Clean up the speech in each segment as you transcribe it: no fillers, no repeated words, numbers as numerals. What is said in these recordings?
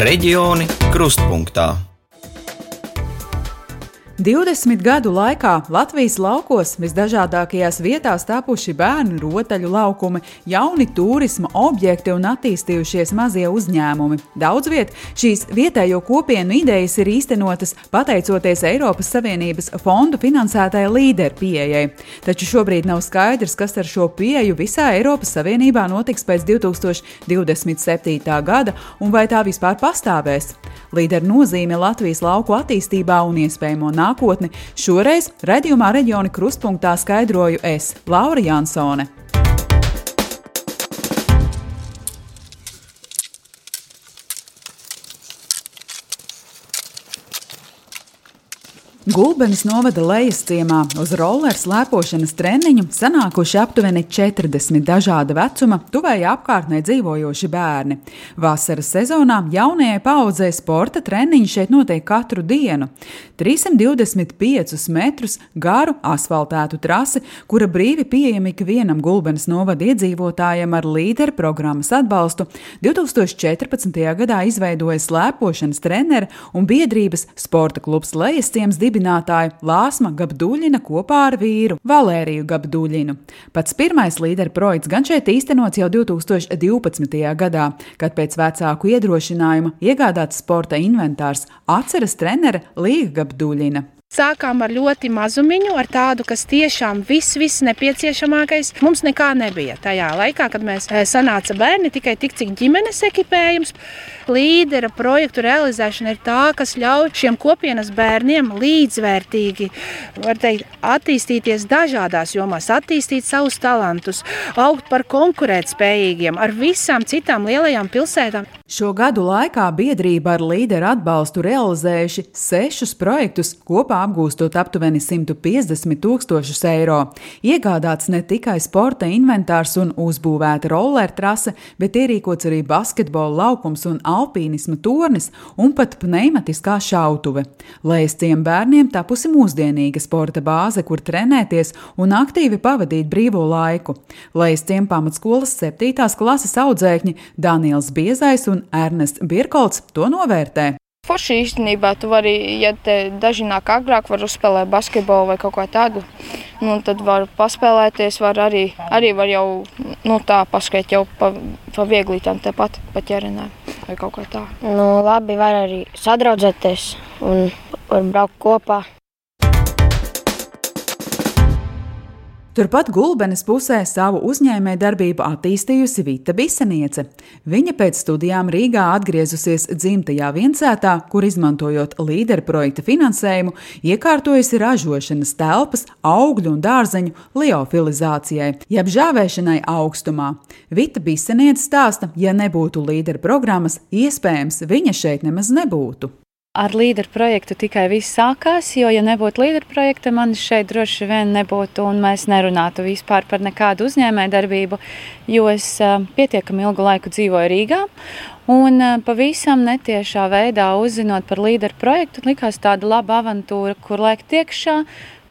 Reģioni krustpunktā. 20 gadu laikā Latvijas laukos visdažādākajās vietās tapuši bērnu rotaļu laukumi, jauni turisma objekti un attīstījušies mazie uzņēmumi. Daudz viet šīs vietējo kopienu idejas ir īstenotas pateicoties Eiropas Savienības fondu finansētajai līderu pieejai. Taču šobrīd nav skaidrs, kas ar šo pieeju visā Eiropas Savienībā notiks pēc 2027. gada un vai tā vispār pastāvēs. Līderu nozīme Latvijas lauku attīstībā un iespējamo nākotni šoreiz raidījumā Reģioni krustpunktā skaidroju es, Laura Jansone. Gulbenes novada Lejasciemā uz rolleru slēpošanas treniņu sanākuši aptuveni 40 dažāda vecuma, tuvējā apkārtnē dzīvojoši bērni. Vasaras sezonā jaunajai paaudzei sporta treniņi šeit notiek katru dienu. 325 metrus garu asfaltētu trasi, kura brīvi pieejama ikvienam Gulbenes novada iedzīvotājiem ar līderu programmas atbalstu, 2014. gadā izveidoja slēpošanas treneri un biedrības sporta klubs Lejasciems dibinātāju Lāsma Gabduļina kopā ar vīru Valēriju Gabduļinu. Pats pirmais līderu projekts gan šeit īstenots jau 2012. gadā, kad pēc vecāku iedrošinājuma iegādāts sporta inventārs, atceras trenere Līga Gabduļina. Sākām ar ļoti mazumiņu, ar tādu, kas tiešām viss nepieciešamākais. Mums nekā nebija tajā laikā, kad mēs sanāca bērni, tikai tik, cik ģimenes ekipējums. Līdera projektu realizēšana ir tā, kas ļauj šiem kopienas bērniem līdzvērtīgi, var teikt, attīstīties dažādās jomās, attīstīt savus talantus, augt par konkurētspējīgiem ar visām citām lielajām pilsētām. Šo gadu laikā biedrība ar līderu atbalstu realizējuši 6 projektus, kopā apgūstot aptuveni 150 000 eiro. Iegādāts ne tikai sporta inventārs un uzbūvēta rolleru trase, bet ierīkots arī basketbola laukums un alpīnisma tornis un pat pneimatiskā šautuve. Lejasciem bērniem tapusi mūsdienīga sporta bāze, kur trenēties un aktīvi pavadīt brīvo laiku. Lejasciem pamatskolas 7. klases audzēkņi Daniels Biezais un Ernests Birkolts to novērtē. Forši īstenībā tu vari, ja te daži nāk agrāk, var uzspēlēt basketbolu vai kaut ko tādu, tad var paspēlēties, var arī var jau tā paskait jau pa vieglītām tepat pa ķerenēm vai kaut kā tā. Labi, var arī sadraudzēties un var braukt kopā. Turpat Gulbenes pusē savu uzņēmējdarbību attīstījusi Vita Biseniece. Viņa pēc studijām Rīgā atgriezusies dzimtajā Viensētā, kur izmantojot līderu projekta finansējumu, iekārtojusi ražošanas telpas augļu un dārzeņu liofilizācijai, jeb žāvēšanai augstumā. Vita Biseniece stāsta, ja nebūtu līderu programmas, iespējams, viņa šeit nemaz nebūtu. Ar līderu projektu tikai viss sākās, jo, ja nebūtu līderu projekta, man šeit droši vien nebūtu un mēs nerunātu vispār par nekādu uzņēmējdarbību, jo es pietiekami ilgu laiku dzīvoju Rīgā un pavisam netiešā veidā uzzinot par līderu projektu, likās tāda laba avantūra, kur lēkt iekšā,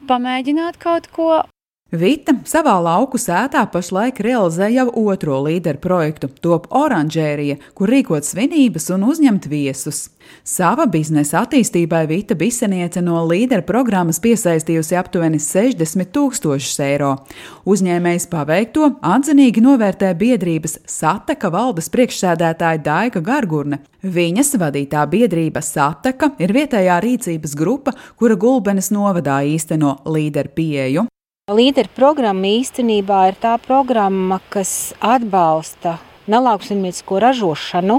pamēģināt kaut ko. Vita savā lauku sētā pašlaik realizē jau otro līderu projektu, top oranžērija, kur rīkot svinības un uzņemt viesus. Sava biznesa attīstībai Vita Biseniece no līderu programmas piesaistījusi aptuveni 60 000 eiro. Uzņēmējs paveikto atzinīgi novērtē biedrības Sateka valdes priekšsēdētāja Daiga Gargurne. Viņas vadītā biedrība Sateka ir vietējā rīcības grupa, kura Gulbenes novadā īsteno līderu pieeju. Līderu programma īstenībā ir tā programma, kas atbalsta nelauksaimniecisko ražošanu.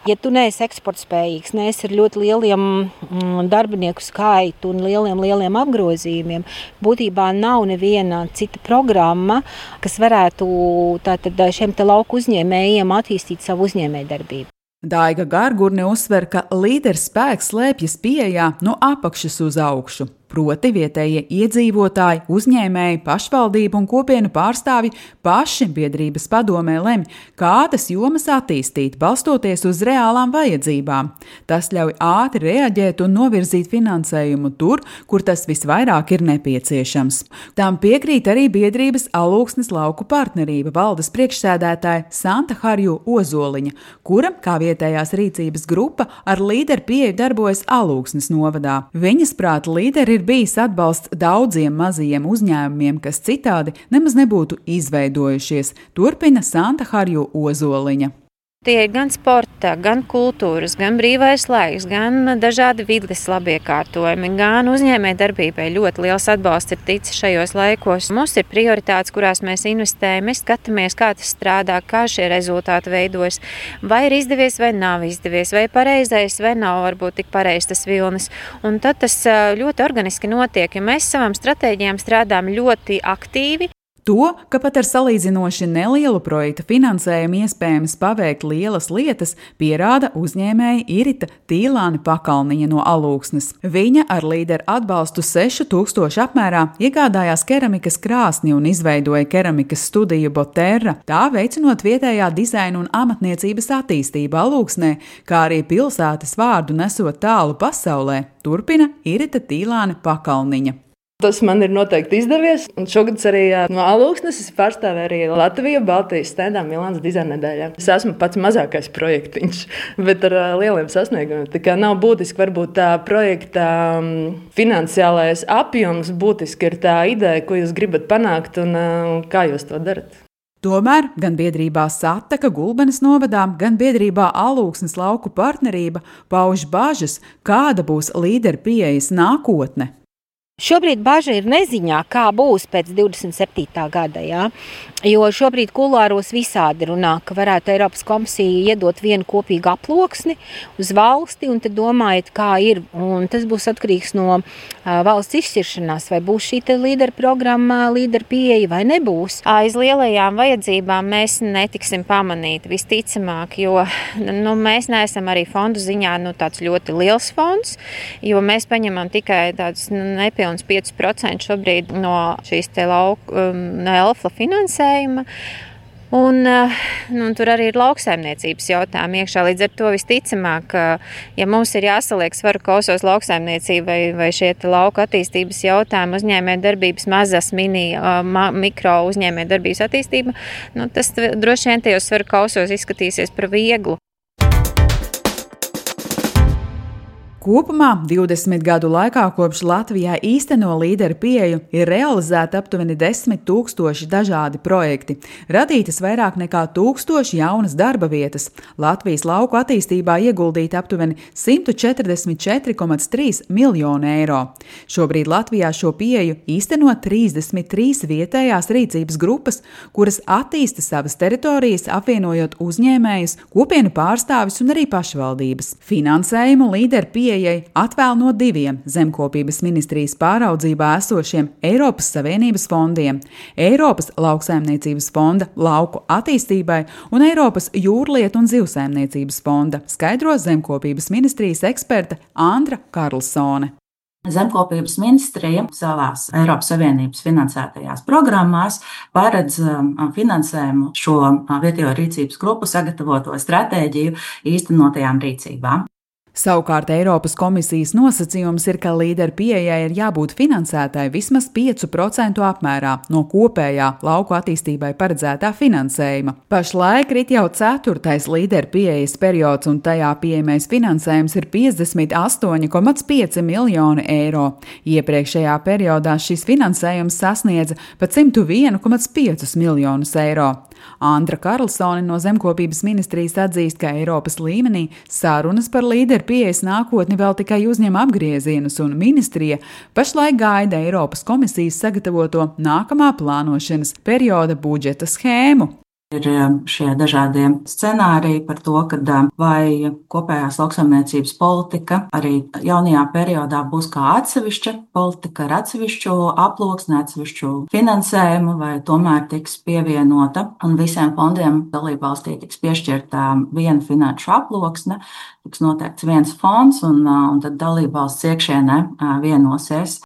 Ja tu neesi eksportspējīgs, neesi ar ļoti lieliem darbinieku skaitu un lieliem apgrozījumiem, būtībā nav neviena cita programma, kas varētu šiem te lauku uzņēmējiem attīstīt savu uzņēmējdarbību. Daiga Gargurne uzsver, ka līderu spēks slēpjas pieejā no apakšas uz augšu. proti vietējie iedzīvotāji, uzņēmēji, pašvaldību un kopienu pārstāvji paši biedrības padomē lemj, kādas jomas attīstīt, balstoties uz reālām vajadzībām. Tas ļauj ātri reaģēt un novirzīt finansējumu tur, kur tas visvairāk ir nepieciešams. Tam piekrīt arī biedrības Alūksnes lauku partnerība valdes priekšsēdētāja Santa Harju Ozoliņa, kura, kā vietējās rīcības grupa, ar līderu pieeju darbojas Alūksnes novadā. Viņas prāta līderi ir bijis atbalsts daudziem mazajiem uzņēmumiem, kas citādi nemaz nebūtu izveidojušies, turpina Santa Harju Ozoliņa. Tie ir gan sporta, gan kultūras, gan brīvais laiks, gan dažādi vides labiekārtojumi, gan uzņēmējdarbībai ļoti liels atbalsts ir ticis šajos laikos. Mums ir prioritātes, kurās mēs investējam, mēs skatāmies, kā tas strādā, kā šie rezultāti veidojas, vai ir izdevies vai nav izdevies, vai pareizais vai nav varbūt tik pareizs tas vilnis. Un tad tas ļoti organiski notiek, jo mēs savām stratēģijām strādājam ļoti aktīvi. To, ka pat ar salīdzinoši nelielu projekta finansējumu iespējams paveikt lielas lietas, pierāda uzņēmēja Irita Tīlāne Pakalniņa no Alūksnes. Viņa ar līderu atbalstu 6000 apmērā iegādājās keramikas krāsni un izveidoja keramikas studiju Boterra, tā veicinot vietējā dizaina un amatniecības attīstību Alūksnē, kā arī pilsētas vārdu nesot tālu pasaulē, turpina Irita Tīlāne Pakalniņa. Tas man ir noteikti izdevies, un šogad arī no Alūksnes es pārstāvēju arī Latviju Baltijas stendā Milānas dizaina nedēļā. Es esmu pats mazākais projektiņš, bet ar lieliem sasniegumiem. Tā kā nav būtiski varbūt tā projekta finansiālais apjoms, būtiski ir tā ideja, ko jūs gribat panākt un kā jūs to darat. Tomēr gan biedrībā Sataka Gulbenes novadā, gan biedrībā Alūksnes lauku partnerība pauž bažas, kāda būs līderu pieejas nākotne. Šobrīd bažas ir neziņā, kā būs pēc 27. gada. Ja? Jo šobrīd kulāros visādi runā, ka varētu Eiropas komisija iedot vienu kopīgu aploksni uz valsti, un tad domājat, kā ir. Un tas būs atkarīgs no valsts izšķiršanās, vai būs šī līderu programma, līderu pieeja vai nebūs. Aiz lielajām vajadzībām mēs netiksim pamanīti visticamāk, jo mēs neesam arī fondu ziņā tāds ļoti liels fonds, jo mēs paņemam tikai tādus nepilnus 5% šobrīd no šīs ELFA finansējuma. Un tur arī ir lauksaimniecības jautājumi iekšā. Līdz ar to visticamāk, ja mums ir jāsaliek svaru kausos lauksaimniecība vai šie lauka attīstības jautājumi, uzņēmējdarbības mazas mikro uzņēmējdarbības attīstība, tas droši vien tajos svaru kausos izskatīsies par vieglu. Kopumā 20 gadu laikā kopš Latvijā īsteno līderu pieeju ir realizēti aptuveni 10 000 dažādi projekti, radītas vairāk nekā 1000 jaunas darba vietas, Latvijas lauku attīstībā ieguldīti aptuveni 144,3 miljoni eiro. Šobrīd Latvijā šo pieeju īsteno 33 vietējās rīcības grupas, kuras attīsta savas teritorijas, apvienojot uzņēmējus, kopienu pārstāvis un arī pašvaldības. Finansējumu līderu pieeju atvēl no 2 zemkopības ministrijas pāraudzībā esošiem Eiropas Savienības fondiem – Eiropas lauksaimniecības fonda lauku attīstībai un Eiropas jūrlietu un zivsaimniecības fonda, skaidro zemkopības ministrijas eksperte Andra Karlsone. Zemkopības ministrija savās Eiropas Savienības finansētajās programmās paredz finansējumu šo vietējo rīcības grupu sagatavoto stratēģiju īstenotajām rīcībām. Savukārt Eiropas komisijas nosacījums ir, ka līderu pieejai ir jābūt finansētai vismaz 5% apmērā no kopējā lauku attīstībai paredzētā finansējuma. Pašlaik rit jau 4. līderu pieejas periods un tajā pieejamais finansējums ir 58,5 miljoni eiro. Iepriekšējā periodā šis finansējums sasniedza pat 101,5 miljonus eiro. Andra Karlsone no zemkopības ministrijas atzīst, ka Eiropas līmenī sarunas par līderu pieejas nākotni vēl tikai uzņem apgriezienus un ministrija pašlaik gaida Eiropas komisijas sagatavoto nākamā plānošanas perioda budžeta schēmu. Ir šie dažādie scenāriji par to, ka vai kopējās lauksaimniecības politika arī jaunajā periodā būs kā atsevišķa politika ar atsevišķu aploksni, atsevišķu finansējumu, vai tomēr tiks pievienota un visiem fondiem dalībvalstī tiks piešķirta viena finanšu aploksne, tiks noteikts viens fonds un tad dalībvalsts iekšienē vienosies.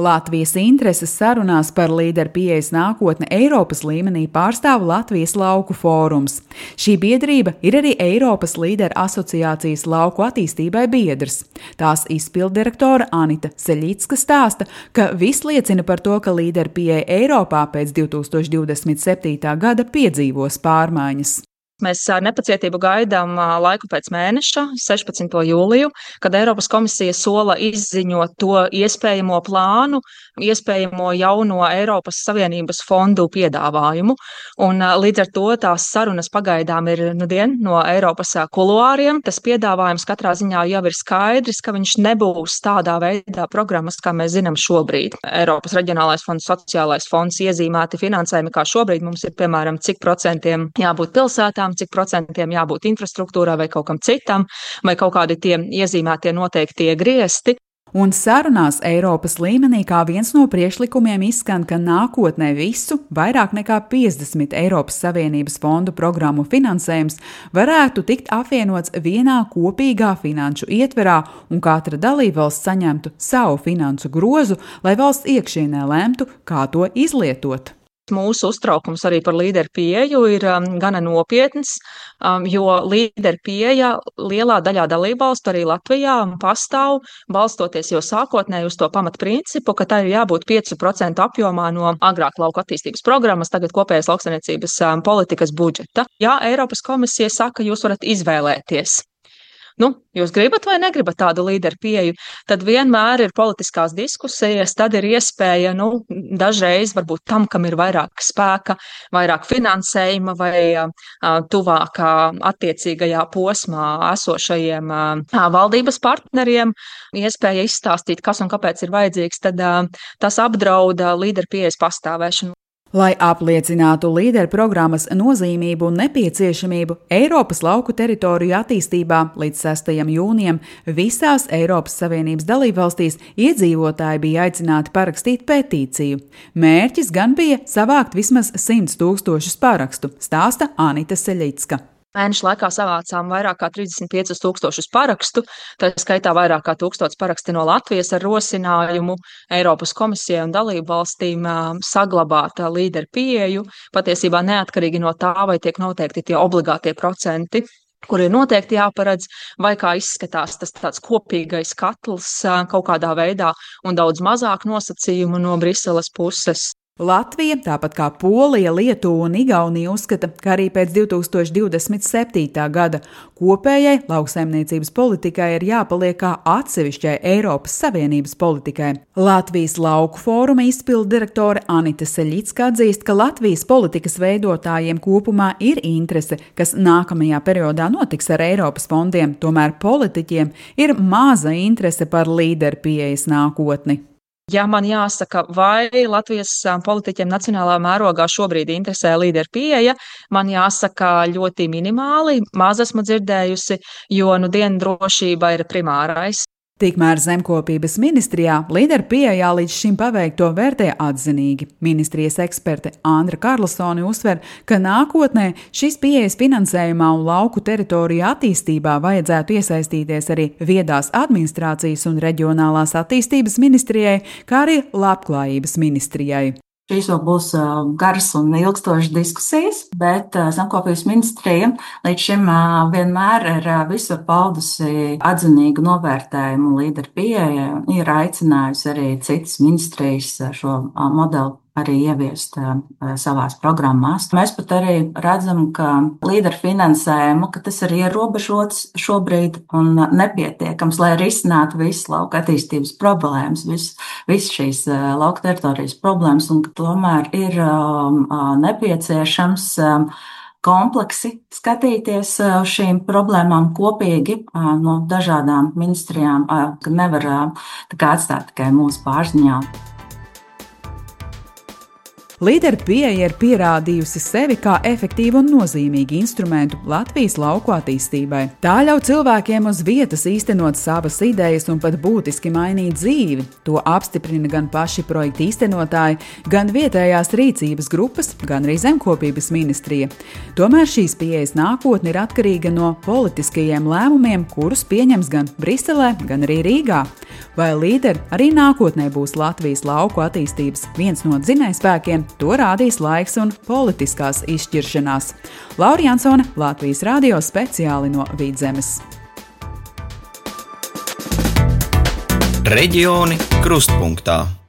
Latvijas intereses sarunās par līderu pieejas nākotne Eiropas līmenī pārstāv Latvijas lauku fórums. Šī biedrība ir arī Eiropas līderu asociācijas lauku attīstībai biedrs. Tās izpilddirektore Anita Seļicka stāsta, ka viss liecina par to, ka līderu pieeja Eiropā pēc 2027. gada piedzīvos pārmaiņas. Mēs ar nepacietību gaidām laiku pēc mēneša, 16. jūliju, kad Eiropas komisija sola izziņot to iespējamo plānu, iespējamo jauno Eiropas Savienības fondu piedāvājumu. Un līdz ar to tās sarunas pagaidām ir no Eiropas kuluāriem. Tas piedāvājums katrā ziņā jau ir skaidrs, ka viņš nebūs tādā veidā programmas, kā mēs zinām šobrīd. Eiropas reģionālais fonds, sociālais fonds iezīmēti finansējumi, kā šobrīd mums ir, piemēram, cik procentiem jābūt pilsētām, cik procentiem jābūt infrastruktūrā vai kaut kam citam, vai kaut kādi tie iezīmētie noteiktie griesti. Un sarunās Eiropas līmenī kā viens no priekšlikumiem izskan, ka nākotnē visu vairāk nekā 50 Eiropas Savienības fondu programmu finansējums varētu tikt apvienots vienā kopīgā finanšu ietverā un katra dalībvalsts saņemtu savu finansu grozu, lai valsts iekšienē lemtu, kā to izlietot. Mūsu uztraukums arī par līderu pieeju ir gana nopietns, jo līderu pieeja lielā daļā dalībvalstu arī Latvijā pastāv, balstoties jau sākotnēji uz to pamatprincipu, ka tā ir jābūt 5% apjomā no agrāk lauku attīstības programmas, tagad kopējās lauksaimniecības politikas budžeta. Ja Eiropas komisija saka, jūs varat izvēlēties. Jūs gribat vai negribat tādu līderu pieeju, tad vienmēr ir politiskās diskusijas, tad ir iespēja, dažreiz varbūt tam, kam ir vairāk spēka, vairāk finansējuma vai tuvākā attiecīgajā posmā esošajiem valdības partneriem, iespēja izstāstīt, kas un kāpēc ir vajadzīgs, tad tas apdrauda līderu pieejas pastāvēšanu. Lai apliecinātu līderu programmas nozīmību un nepieciešamību Eiropas lauku teritoriju attīstībā līdz 6. jūnijam visās Eiropas Savienības dalībvalstīs iedzīvotāji bija aicināti parakstīt petīciju. Mērķis gan bija savākt vismaz 100 000 parakstu, stāsta Anita Seļicka. Mēneša laikā savācām vairāk kā 35 000 parakstu, tā skaitā vairāk kā 1000 paraksti no Latvijas ar rosinājumu Eiropas komisijai un dalību valstīm saglabāt līderu pieeju, patiesībā neatkarīgi no tā, vai tiek noteikti tie obligātie procenti, kur ir noteikti jāparedz, vai kā izskatās tas tāds kopīgais katls kaut kādā veidā un daudz mazāk nosacījumu no Briseles puses. Latvija, tāpat kā Polija, Lietuva un Igaunija uzskata, ka arī pēc 2027. gada kopējai lauksaimniecības politikai ir jāpaliek kā atsevišķai Eiropas Savienības politikai. Latvijas lauku fóruma izpilddirektore Anita Seļicka atzīst, ka Latvijas politikas veidotājiem kopumā ir interese, kas nākamajā periodā notiks ar Eiropas fondiem, tomēr politiķiem ir maza interese par līderu pieejas nākotni. Ja man jāsaka, vai Latvijas politiķiem nacionālā mērogā šobrīd interesē līderu pieeja, man jāsaka ļoti minimāli, maz esmu dzirdējusi, jo drošība ir primārais. Tikmēr Zemkopības ministrijā līderu pieejā līdz šim paveikto vērtē atzinīgi. Ministrijas eksperte Andra Karlsone uzsver, ka nākotnē šīs pieejas finansējumā un lauku teritoriju attīstībā vajadzētu iesaistīties arī viedās administrācijas un reģionālās attīstības ministrijai, kā arī labklājības ministrijai. Šīs vēl būs garas un ilgstošas diskusijas, bet Zemkopības ministrija līdz šim vienmēr ir visur paudusi atzinīgu novērtējumu līderu pieejai un ir aicinājusi arī citas ministrijas šo modeli arī ieviest savās programmās. Mēs pat arī redzam, ka līderu finansējumu, ka tas ir ierobežots šobrīd un nepietiekams, lai risinātu visas lauka attīstības problēmas, visas šīs lauka teritorijas problēmas, un ka tomēr ir nepieciešams kompleksi skatīties uz šīm problēmām kopīgi no dažādām ministrijām, ka nevar atstāt tikai mūsu pārziņā. Līderu pieeja ir pierādījusi sevi kā efektīvu un nozīmīgu instrumentu Latvijas lauku attīstībai. Tā ļauj cilvēkiem uz vietas īstenot savas idejas un pat būtiski mainīt dzīvi. To apstiprina gan paši projekta īstenotāji, gan vietējās rīcības grupas, gan arī zemkopības ministrija. Tomēr šīs pieejas nākotne ir atkarīga no politiskajiem lēmumiem, kurus pieņems gan Briselē, gan arī Rīgā. Vai līderi arī nākotnē būs Latvijas lauku attīstības viens no dzinējspēkiem, to rādīs laiks un politiskās izšķiršanās. Laura Jansone, Latvijas radio speciāli no Vidzemes. Reģioni krustpunktā.